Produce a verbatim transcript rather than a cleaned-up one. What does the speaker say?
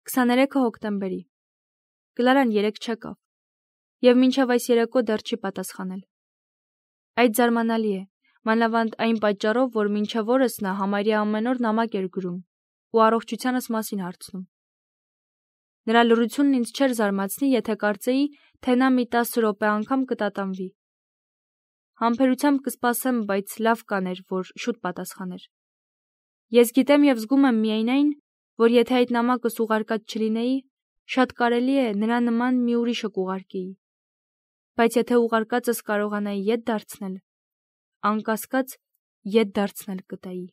քսաներեքը հոկտեմբերի։ Կլարան երեկ չեկավ, եւ մինչև այս երեկո դեռ չի պատասխանել։ Այդ զարմանալի է, մանավանդ այն պատճառով, որ մինչև օրս նա համարյա ամեն օր նամակ էր գրում ու առողջությանս մասին հարցնում։ Նրա լռությունն ինձ չէր զարմացնի, եթե կարծեի, թե նա մի տասը րոպե անգամ կտատանվի։ Համբերությամբ կսպասեմ, բայց լավ կաներ, որ շուտ պատասխաներ։ Ես գիտեմ եւ զգում եմ միայն այն, որ եթե այդ նամակս ուղարկած չլինեի, շատ կարելի է նրա նման մի ուրիշը կուղարկեի։ Բայց եթե ուղարկածս կարողանայի ետ դարձնել, անկասկած ետ դարձնել կտայի։